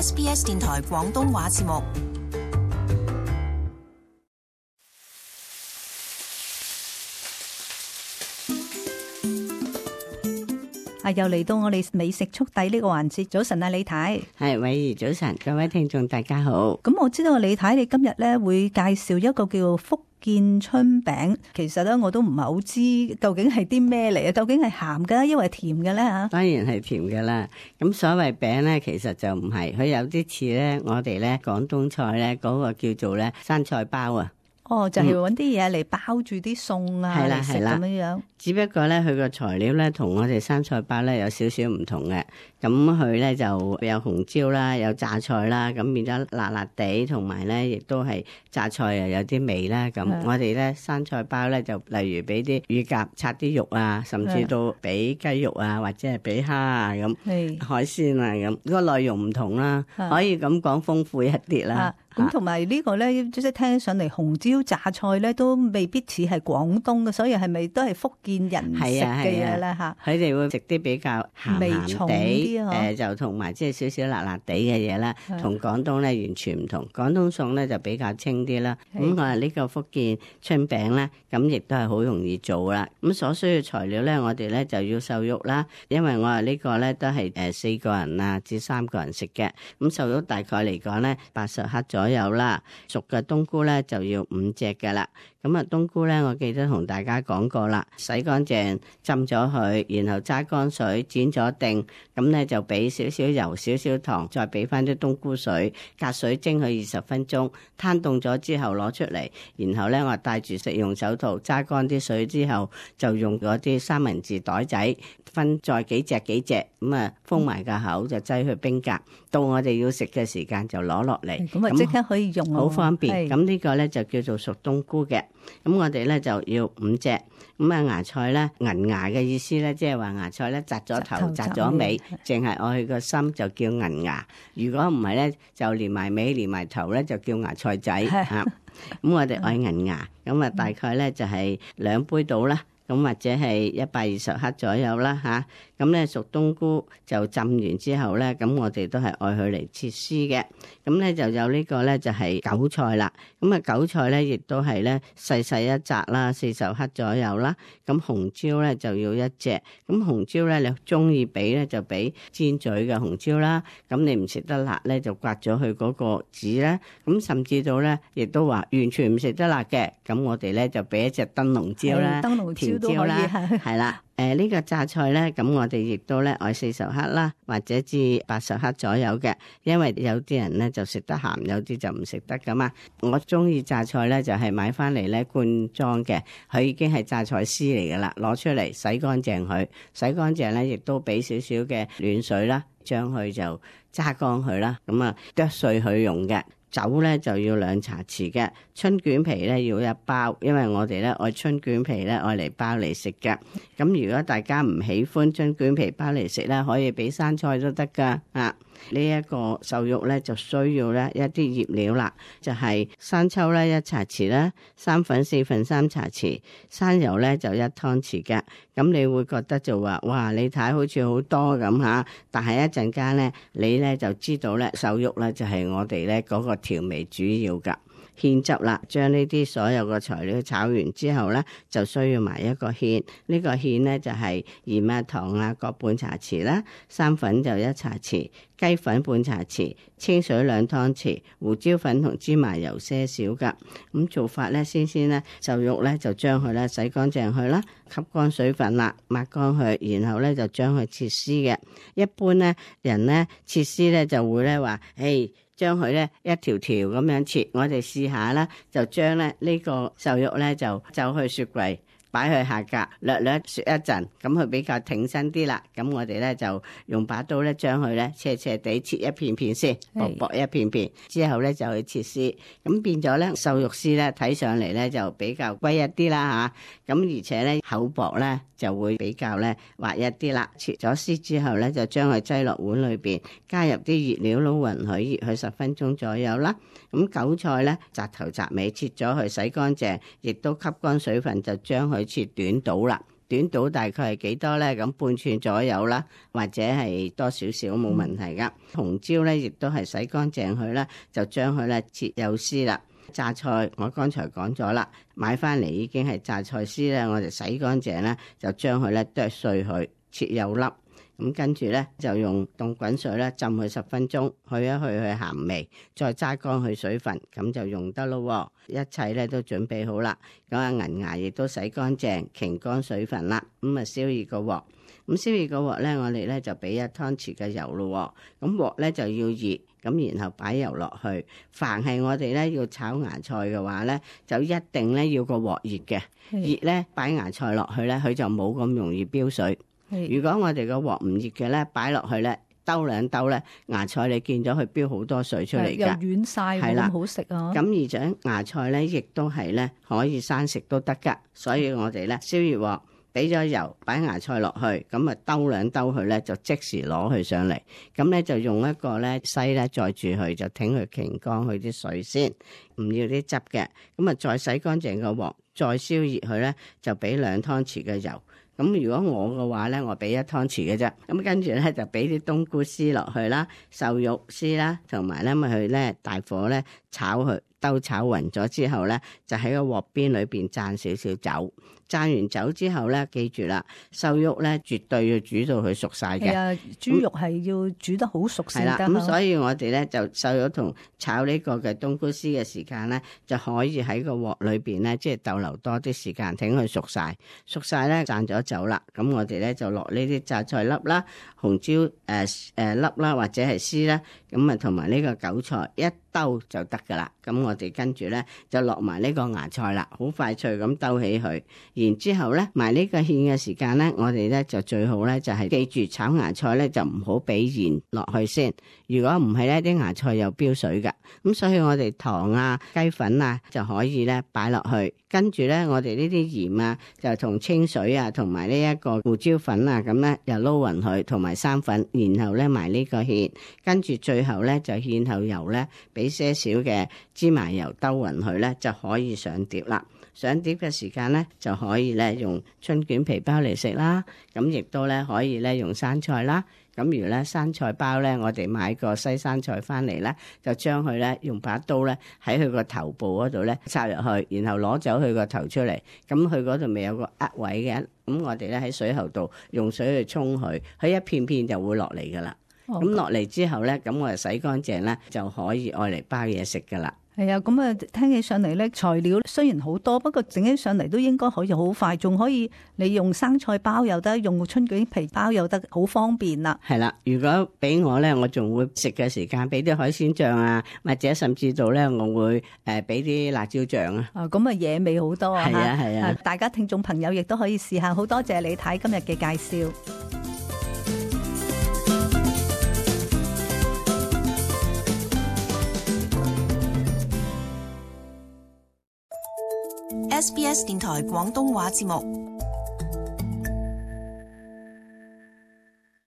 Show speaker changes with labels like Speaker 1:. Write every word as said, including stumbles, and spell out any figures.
Speaker 1: S B S 電台廣東話節目。
Speaker 2: 啊！又嚟到我哋美食速遞呢個環節。早晨啊，李太。
Speaker 3: 係，偉兒早晨，各位聽眾大家好。
Speaker 2: 咁我知道李太你今日咧會介紹一個叫福建春餅。其實咧我都唔係好知究竟係啲咩嚟啊？究竟係鹹嘅，抑或係甜嘅咧吓？
Speaker 3: 當然係甜嘅啦。咁所謂餅咧，其實就唔係，佢有啲似咧，我哋咧廣東菜咧嗰個叫做咧生菜包啊。
Speaker 2: 哦，就係揾啲嘢嚟包住啲餸啊，嚟食咁樣樣。
Speaker 3: 只不過咧，佢個材料咧同我哋生菜包咧有少少唔同嘅。咁佢咧就有紅椒啦，有榨菜啦，咁變咗辣辣地，同埋咧亦都係榨菜又有啲味啦。咁我哋咧生菜包咧就例如俾啲乳鴿拆啲肉啊，甚至到俾雞肉啊，或者係俾蝦啊咁，海鮮啊咁，個內容唔同啦，可以咁講豐富一啲啦。
Speaker 2: 咁同埋呢個咧，即係聽起上嚟紅椒榨菜咧，都未必似係廣東嘅，所以係咪都係福建人食嘅嘢咧？嚇，
Speaker 3: 佢哋會食啲比較鹹鹹地，誒、呃、就同埋即係少少辣辣地嘅嘢啦，同廣東咧完全唔同。廣東餸咧就比較清啲啦。咁我話呢個福建春餅咧，咁亦都係好容易做啦。咁所需要材料咧，我哋咧就要瘦肉啦，因為我話呢個咧都係誒四個人啊至三個人食嘅。咁瘦肉大概嚟講咧八十克左右。有啦，熟嘅冬菇咧就要五隻㗎啦。咁啊，冬菇咧，我記得同大家講過啦，洗乾淨，浸咗佢，然後揸乾水，剪咗定，咁咧就俾少少油、少少糖，再俾翻啲冬菇水，隔水蒸佢二十分鐘，攤凍咗之後攞出嚟，然後咧我戴住食用手套，揸乾啲水之後，就用嗰啲三文治袋仔分再幾隻幾隻，咁啊封埋個口就擠去冰格，到我哋要食嘅時間就攞落嚟，
Speaker 2: 咁啊即刻可以用，
Speaker 3: 好方便。咁呢個咧就叫做熟冬菇嘅。咁我哋咧就要五隻，咁啊芽菜咧銀芽嘅意思咧，即係話芽菜咧摘咗頭摘咗尾，淨係愛佢個心就叫銀芽。如果唔係咧，就連埋尾連埋頭咧就叫芽菜仔嚇。咁我哋愛銀芽，咁啊大概咧就係兩杯到啦。咁或者係一百二十克左右啦吓，咁咧熟冬菇就浸完之後咧，咁我哋都係愛佢嚟切絲嘅。咁咧就有呢個咧就係韭菜啦。咁啊韭菜咧亦都係咧細細一紮啦，四十克左右啦。咁紅椒咧就要一隻。咁紅椒咧你中意俾咧就俾尖嘴嘅紅椒啦。咁你唔食得辣咧就刮咗佢嗰個籽咧。咁甚至到咧亦都話完全唔食得辣嘅，咁我哋咧就俾一隻燈籠椒啦，甜椒啦，係啦。誒、呃、呢、這個榨菜咧，咁我哋亦都咧愛四十克啦，或者至八十克左右嘅，因為有啲人咧就食得鹹，有啲就唔食得噶嘛。我中意榨菜咧，就係、是、買翻嚟咧罐裝嘅，佢已經係榨菜絲嚟噶啦，攞出嚟洗乾淨佢，洗乾淨咧亦都俾少少嘅暖水啦，將佢就揸乾佢啦，咁啊剁碎佢用嘅。酒咧就要兩茶匙嘅，春卷皮咧要一包，因為我哋咧愛春卷皮咧愛嚟包嚟食嘅。咁如果大家唔喜歡春卷皮包嚟食咧，可以俾生菜都得噶啊。呢一個瘦肉咧就需要咧一啲醃料啦，就係生抽咧一茶匙啦，生粉四分三茶匙，生油咧就一湯匙嘅。咁你會覺得就話哇，你睇好似好多咁吓，但係一陣間咧你咧就知道咧瘦肉咧就係我哋咧嗰個調味主要噶。芡汁啦，將呢啲所有嘅材料炒完之後咧，就需要埋一個芡。呢個芡咧就係鹽啊、糖啊各半茶匙啦，生粉就一茶匙，雞粉半茶匙，清水兩湯匙，胡椒粉同芝麻油些少噶。咁做法咧，先先咧瘦肉咧就將佢咧洗乾淨佢啦，吸乾水分啦，抹乾佢，然後咧就將佢切絲嘅。一般咧人咧切絲咧就會咧話，誒。將佢咧一條條咁樣切，我哋試下啦，就將咧呢個瘦肉咧就走去雪櫃，擺去下格，略略雪一陣，咁佢比較挺身啲啦。咁我哋咧就用把刀咧將佢咧斜斜地切一片片先，薄薄一片片，之後咧就去切絲，咁變咗咧瘦肉絲咧睇上嚟咧就比較龜一啲啦吓，咁而且咧厚薄咧就會比較咧滑一啲啦。切咗絲之後咧就將佢擠落碗裏邊，加入啲熱料撈勻佢，熱佢十分鐘左右啦。咁韭菜咧摘頭摘尾切咗佢，洗乾淨，亦都吸乾水分，就將佢切短刀啦。短度大概係幾多咧？咁半寸左右啦，或者係多少少冇問題噶。紅椒咧亦都係洗乾淨佢啦，就將佢咧切幼絲啦。榨菜我剛才講咗啦，買翻嚟已經係榨菜絲咧，我哋洗乾淨咧，就將佢咧剁碎佢，切幼粒。咁跟住咧就用凍滾水咧浸佢十分鐘，去一去佢鹹味，再揸乾佢水分，咁就用得咯。一切咧都準備好啦，咁啊銀芽亦都洗乾淨，擎乾水分啦，咁啊燒熱個鑊。咁燒熱個鑊咧，我哋咧就俾一湯匙嘅油咯。咁鑊咧就要熱，咁然後擺油落去。凡係我哋咧要炒芽菜嘅話咧，就一定咧要個鑊熱嘅，熱咧擺芽菜落去咧，佢就冇咁容易飆水。如果我哋個鑊唔熱嘅咧，擺落去咧，兜兩兜咧，芽菜你見咗佢飆好多水出嚟㗎，
Speaker 2: 又軟晒，冇咁好食啊！
Speaker 3: 咁而且芽菜咧，亦都係咧可以生食都得㗎，所以我哋咧燒熱鑊，俾咗油，擺芽菜落去，咁啊兜兩兜佢咧，就即時攞佢上嚟，咁咧就用一個咧篩咧載住佢，就挺佢擎乾佢啲水先，唔要啲汁嘅，咁啊再洗乾淨個鑊，再燒熱佢咧，就俾兩湯匙嘅油。咁如果我嘅話咧，我俾一湯匙嘅啫。咁跟住咧就俾啲冬菇絲落去啦，瘦肉絲啦，同埋咧咪去咧大火咧炒佢，兜炒勻咗之後咧，就喺個鑊邊裏邊灒少少酒。灒完酒之後咧，記住啦，瘦肉咧絕對要煮到佢熟晒嘅。係啊，
Speaker 2: 豬肉係要煮得好熟先得。係啦，
Speaker 3: 咁所以我哋咧就瘦肉同炒呢個嘅冬菇絲嘅時間咧，就可以喺個鑊裏邊咧，即係逗留多啲時間，等佢熟晒。熟晒咧，灒咗酒啦，咁我哋咧就落呢啲榨菜粒啦、紅椒誒誒、呃呃、粒啦，或者係絲啦，咁啊同埋呢個韭菜一兜就得噶啦。咁我哋跟住咧就落埋呢個芽菜啦，好快脆咁兜起佢。然之後咧，埋呢個芡嘅時間咧，我哋咧就最好咧就係記住炒芽菜咧就唔好俾鹽落去先。如果唔係咧，啲芽菜又飆水噶。咁所以我哋糖啊、雞粉啊就可以咧擺落去。跟住咧，我哋呢啲鹽啊，就同清水啊，同埋呢一個胡椒粉啊，咁咧又撈勻佢，同埋生粉，然後咧埋呢個芡。跟住最後咧就芡後油咧，俾些少嘅芝麻油兜勻佢咧，就可以上碟啦。上碟嘅時間咧，就可以咧用春卷皮包嚟食啦。咁亦都咧可以咧用生菜啦。咁如咧生菜包咧，我哋買個西生菜翻嚟咧，就將佢咧用把刀咧喺佢個頭部嗰度咧插入去，然後攞走佢個頭出嚟。咁佢嗰度咪有個壓位嘅，咁我哋咧喺水喉度用水去沖佢，佢一片片就會落嚟噶啦。咁落嚟之後咧，咁我哋洗乾淨咧就可以愛嚟包嘢食噶啦。
Speaker 2: 係啊，咁啊聽起上嚟咧，材料雖然好多，不過整起上嚟都應該可以好快，仲可以你用生菜包又得，用春卷皮包又得，好方便啦。
Speaker 3: 係啦，如果俾我咧，我仲會食嘅時間俾啲海鮮醬啊，或者甚至到咧，我會誒俾啲辣椒醬啊。
Speaker 2: 啊，咁啊野味好多啊！
Speaker 3: 係啊係啊，
Speaker 2: 大家聽眾朋友亦都可以試下。好多謝你睇今日嘅介紹。
Speaker 1: S B S 電台廣東話節目。